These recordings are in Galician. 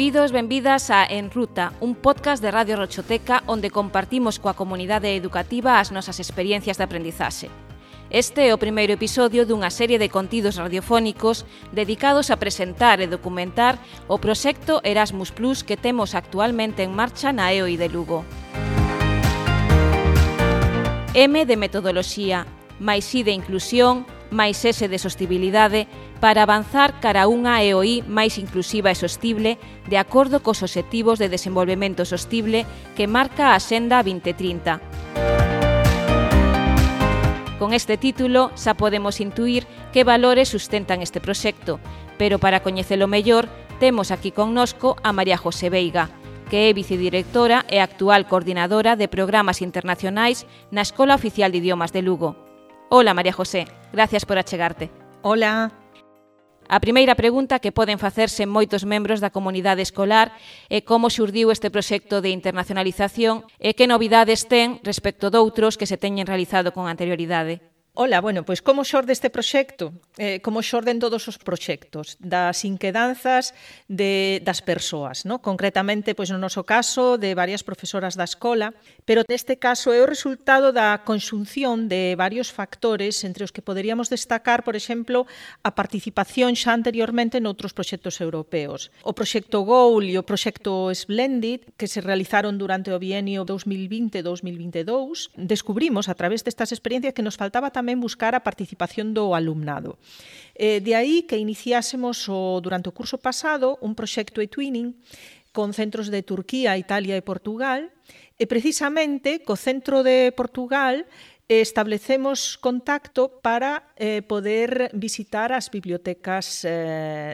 Benvidos, benvidas a En Ruta, un podcast de Radio Rochoteca onde compartimos coa comunidade educativa as nosas experiencias de aprendizaxe. Este é o primeiro episodio dunha serie de contidos radiofónicos dedicados a presentar e documentar o proxecto Erasmus Plus que temos actualmente en marcha na EOI de Lugo. M de metodoloxía, máis I de inclusión, máis S de sostibilidade, para avanzar cara a unha EOI máis inclusiva e sostible de acordo cos obxectivos de desenvolvemento sostible que marca a Axenda 2030. Con este título xa podemos intuir que valores sustentan este proxecto, pero para coñecelo mellor temos aquí connosco a María José Veiga, que é vicedirectora e actual coordinadora de programas internacionais na Escola Oficial de Idiomas de Lugo. Hola, María José, gracias por achegarte. Hola. A primeira pregunta que poden facerse moitos membros da comunidade escolar é como xurdiu este proxecto de internacionalización e que novidades ten respecto doutros que se teñen realizado con anterioridade. Ola, pois como xorde este proxecto? Como xorden todos os proxectos, das inquedanzas das persoas, no? Concretamente, pois no noso caso, de varias profesoras da escola, pero neste caso é o resultado da conxunción de varios factores entre os que poderíamos destacar, por exemplo, a participación xa anteriormente noutros proxectos europeos. O proxecto GOAL e o proxecto Splendid, que se realizaron durante o bienio 2020-2022, descubrimos a través destas experiencias que nos faltaba tamén buscar a participación do alumnado. De aí que iniciásemos durante o curso pasado un proxecto e-twinning con centros de Turquía, Italia e Portugal, e precisamente co centro de Portugal establecemos contacto para poder visitar as bibliotecas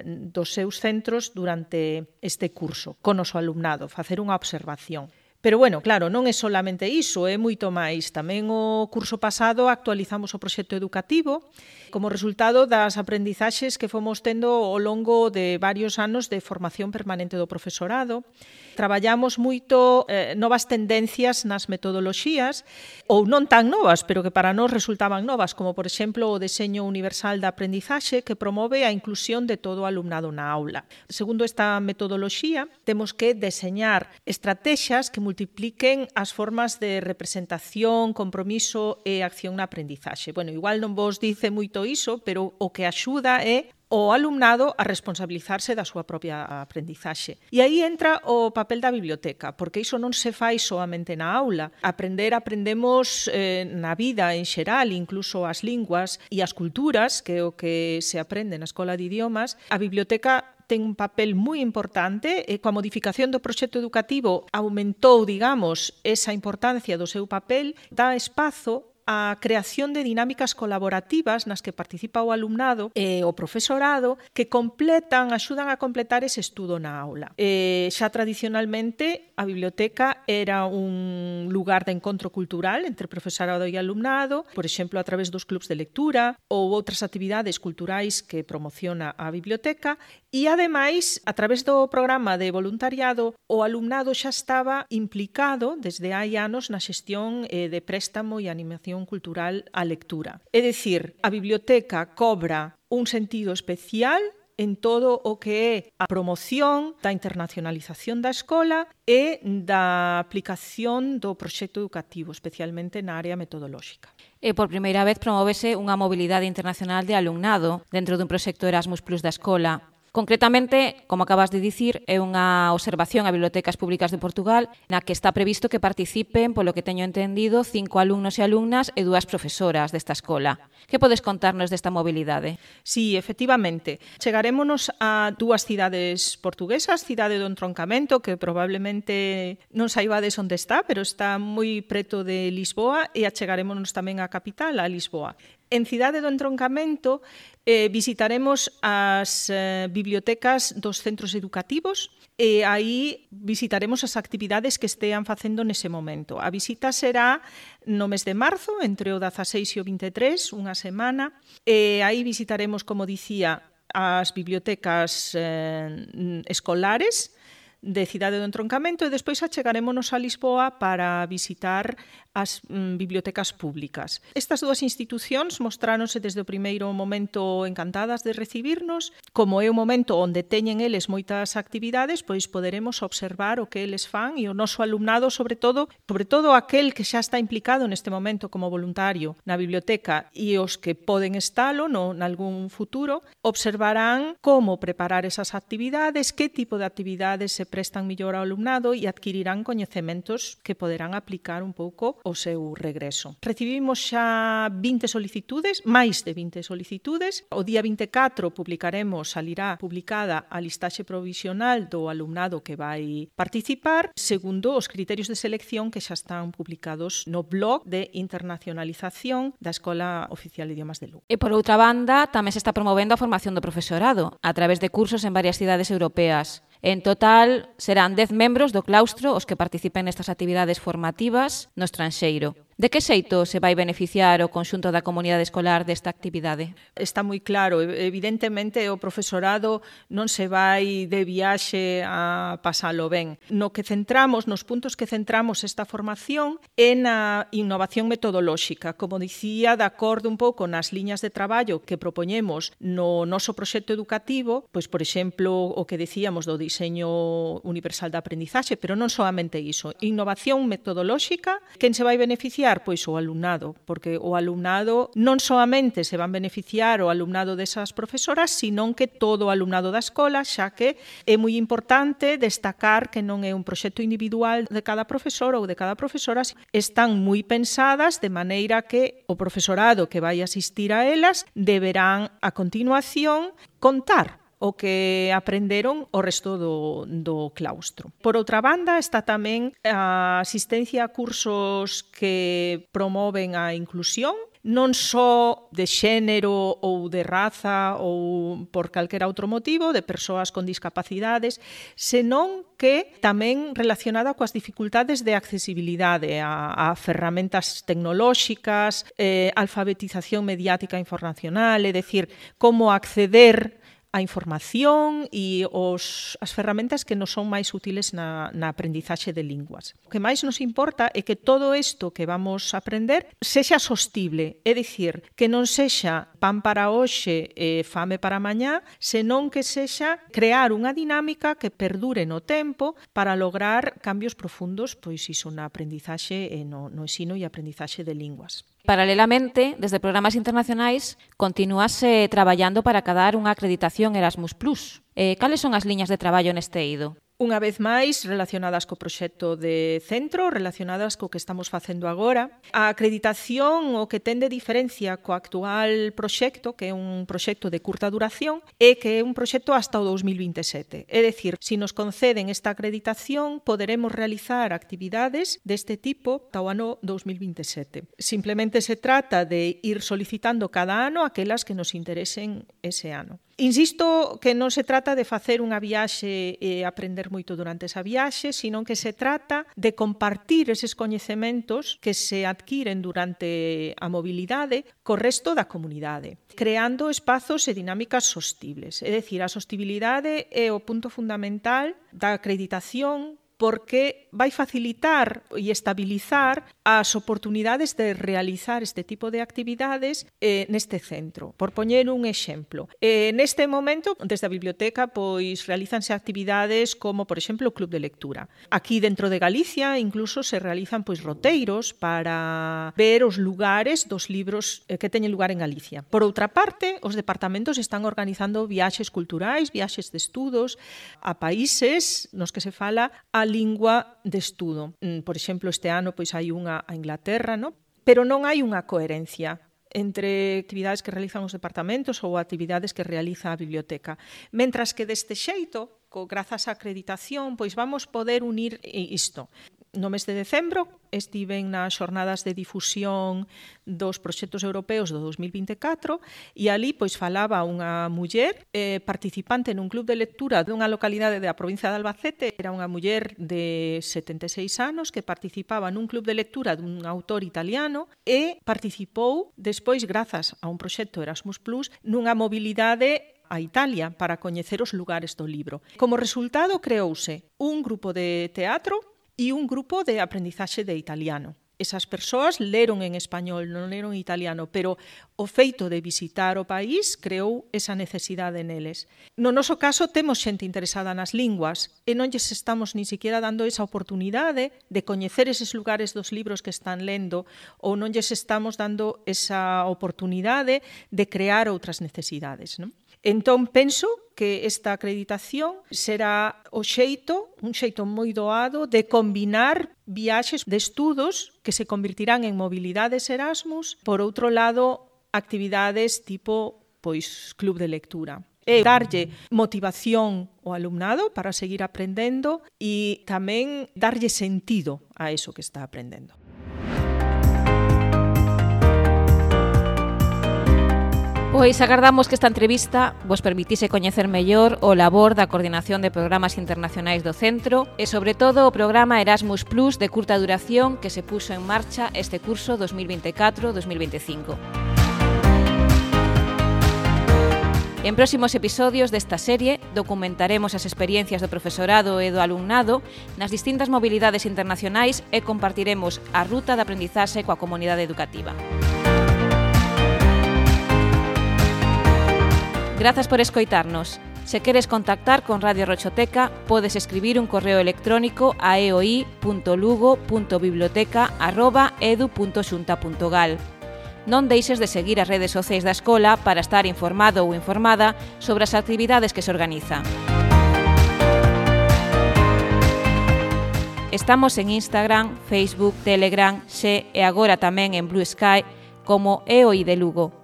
dos seus centros durante este curso, con o noso alumnado, facer unha observación. Pero, claro, non é solamente iso, é moito máis. Tamén o curso pasado actualizamos o proxecto educativo como resultado das aprendizaxes que fomos tendo ao longo de varios anos de formación permanente do profesorado. Traballamos moito novas tendencias nas metodoloxías, ou non tan novas, pero que para nós resultaban novas, como, por exemplo, o deseño universal da aprendizaxe que promove a inclusión de todo o alumnado na aula. Segundo esta metodoloxía, temos que deseñar estratexias que multipliquen as formas de representación, compromiso e acción na aprendizaxe. Igual non vos dice moito iso, pero o que axuda é o alumnado a responsabilizarse da súa propia aprendizaxe. E aí entra o papel da biblioteca, porque iso non se fai soamente na aula. Aprendemos na vida en xeral, incluso as linguas e as culturas, que é o que se aprende na Escola de Idiomas. A biblioteca ten un papel moi importante e coa modificación do proxecto educativo aumentou, esa importancia do seu papel, dá espazo a creación de dinámicas colaborativas nas que participa o alumnado e o profesorado que axudan a completar ese estudo na aula. Xa tradicionalmente a biblioteca era un lugar de encontro cultural entre profesorado e alumnado, por exemplo, a través dos clubs de lectura ou outras actividades culturais que promociona a biblioteca e, ademais, a través do programa de voluntariado, o alumnado xa estaba implicado desde hai anos na xestión de préstamo e animación cultural á lectura. É dicir, a biblioteca cobra un sentido especial en todo o que é a promoción da internacionalización da escola e da aplicación do proxecto educativo, especialmente na área metodolóxica. E por primeira vez promóvese unha mobilidade internacional de alumnado dentro dun proxecto Erasmus Plus da escola. Concretamente, como acabas de dicir, é unha observación a Bibliotecas Públicas de Portugal na que está previsto que participen, polo que teño entendido, 5 alumnos e alumnas e 2 profesoras desta escola. Que podes contarnos desta mobilidade? Sí, efectivamente. Chegarémonos a 2 cidades portuguesas, Cidade do Entroncamento, que probablemente non saibades onde está, pero está moi preto de Lisboa, e achegarémonos tamén á capital, a Lisboa. En Cidade do Entroncamento visitaremos as bibliotecas dos centros educativos e aí visitaremos as actividades que estean facendo nese momento. A visita será no mes de marzo, entre o 16 e o 23, unha semana, e aí visitaremos, como dicía, as bibliotecas escolares de Cidade do Entroncamento, e despois achegarémonos a Lisboa para visitar as bibliotecas públicas. Estas dúas institucións mostráronse desde o primeiro momento encantadas de recibirnos. Como é o momento onde teñen eles moitas actividades, pois poderemos observar o que eles fan, e o noso alumnado, sobre todo aquel que xa está implicado neste momento como voluntario na biblioteca e os que poden estalo nalgún futuro, observarán como preparar esas actividades, que tipo de actividades se prestan mellor ao alumnado e adquirirán coñecementos que poderán aplicar un pouco o seu regreso. Recibimos xa 20 solicitudes, máis de 20 solicitudes. O día 24 salirá publicada a listaxe provisional do alumnado que vai participar, segundo os criterios de selección que xa están publicados no blog de internacionalización da Escola Oficial de Idiomas de Lugo. E por outra banda, tamén se está promovendo a formación do profesorado a través de cursos en varias cidades europeas. En total, serán 10 membros do claustro os que participen nestas actividades formativas no estranxeiro. De que xeito se vai beneficiar o conxunto da comunidade escolar desta actividade? Está moi claro. Evidentemente, o profesorado non se vai de viaxe a pasalo ben. Nos puntos que centramos esta formación é na innovación metodolóxica. Como dicía, de acordo un pouco nas liñas de traballo que propoñemos no noso proxecto educativo, pois, por exemplo, o que decíamos do diseño universal da aprendizaxe, pero non solamente iso. Innovación metodolóxica, quen se vai beneficiar? Pois o alumnado, porque o alumnado non solamente se van beneficiar o alumnado desas profesoras, senón que todo o alumnado da escola, xa que é moi importante destacar que non é un proxecto individual de cada profesor ou de cada profesora, están moi pensadas de maneira que o profesorado que vai asistir a elas deberán a continuación contar o que aprenderon o resto do claustro. Por outra banda, está tamén a asistencia a cursos que promoven a inclusión, non só de xénero ou de raza ou por calquera outro motivo, de persoas con discapacidades, senón que tamén relacionada coas dificultades de accesibilidade a ferramentas tecnolóxicas, alfabetización mediática informacional, é dicir, como acceder a información e as ferramentas que nos son máis útiles na aprendizaxe de linguas. O que máis nos importa é que todo isto que vamos a aprender sexa sostible, é dicir, que non sexa pan para hoxe e fame para mañá, senón que sexa crear unha dinámica que perdure no tempo para lograr cambios profundos, pois iso na aprendizaxe e no ensino e aprendizaxe de linguas. Paralelamente, desde programas internacionais, continúase traballando para acadar unha acreditación Erasmus+. Cales son as liñas de traballo neste eido? Unha vez máis, relacionadas co proxecto de centro, relacionadas co que estamos facendo agora. A acreditación, o que ten de diferencia co actual proxecto, que é un proxecto de curta duración, é que é un proxecto hasta o 2027. É dicir, se nos conceden esta acreditación, poderemos realizar actividades deste tipo ata o ano 2027. Simplemente se trata de ir solicitando cada ano aquelas que nos interesen ese ano. Insisto que non se trata de facer unha viaxe e aprender moito durante esa viaxe, sino que se trata de compartir eses coñecementos que se adquiren durante a mobilidade co resto da comunidade, creando espazos e dinámicas sostibles. É dicir, a sostibilidade é o punto fundamental da acreditación, porque vai facilitar e estabilizar as oportunidades de realizar este tipo de actividades neste centro. Por poñer un exemplo, neste momento, desde a biblioteca, pois realizanse actividades como, por exemplo, o Club de Lectura. Aquí dentro de Galicia, incluso se realizan pois roteiros para ver os lugares dos libros que teñen lugar en Galicia. Por outra parte, os departamentos están organizando viaxes culturais, viaxes de estudos a países nos que se fala a lingua de estudo. Por exemplo, este ano pois hai unha a Inglaterra, no? Pero non hai unha coherencia entre actividades que realizan os departamentos ou actividades que realiza a biblioteca. Mentras que deste xeito, grazas á acreditación, pois vamos poder unir isto. No mes de decembro estiven nas xornadas de difusión dos proxectos europeos do 2024 e ali pois falaba unha muller participante nun club de lectura dunha localidade da provincia de Albacete. Era unha muller de 76 anos que participaba nun club de lectura dun autor italiano e participou despois, grazas a un proxecto Erasmus+, nunha mobilidade a Italia para coñecer os lugares do libro. Como resultado, creouse un grupo de teatro e un grupo de aprendizaxe de italiano. Esas persoas leron en español, non leron en italiano, pero o feito de visitar o país creou esa necesidade neles. No noso caso, temos xente interesada nas linguas e non lles estamos ni siquiera dando esa oportunidade de coñecer eses lugares dos libros que están lendo ou non lles estamos dando esa oportunidade de crear outras necesidades, non? Entón, penso que esta acreditación será un xeito moi doado de combinar viaxes de estudos que se convertirán en mobilidades Erasmus, por outro lado, actividades tipo club de lectura. E darlle motivación ao alumnado para seguir aprendendo e tamén darlle sentido a eso que está aprendendo. Pois agardamos que esta entrevista vos permitise coñecer mellor o labor da Coordinación de Programas Internacionais do Centro e, sobre todo, o programa Erasmus Plus de curta duración que se puxo en marcha este curso 2024-2025. En próximos episodios desta serie documentaremos as experiencias do profesorado e do alumnado nas distintas mobilidades internacionais e compartiremos a ruta de aprendizaxe coa comunidade educativa. Grazas por escoitarnos. Se queres contactar con Radio Rochoteca, podes escribir un correo electrónico a eoi.lugo.biblioteca@edu.xunta.gal. Non deixes de seguir as redes sociais da escola para estar informado ou informada sobre as actividades que se organizan. Estamos en Instagram, Facebook, Telegram, Xe e agora tamén en Blue Sky como EOI de Lugo.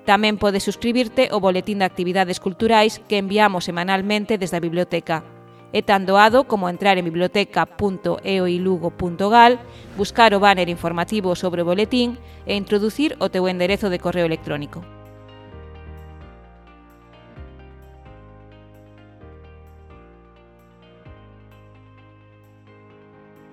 Tamén podes suscribirte ao boletín de actividades culturais que enviamos semanalmente desde a biblioteca. É tan doado como entrar en biblioteca.eoilugo.gal, buscar o banner informativo sobre o boletín e introducir o teu enderezo de correo electrónico.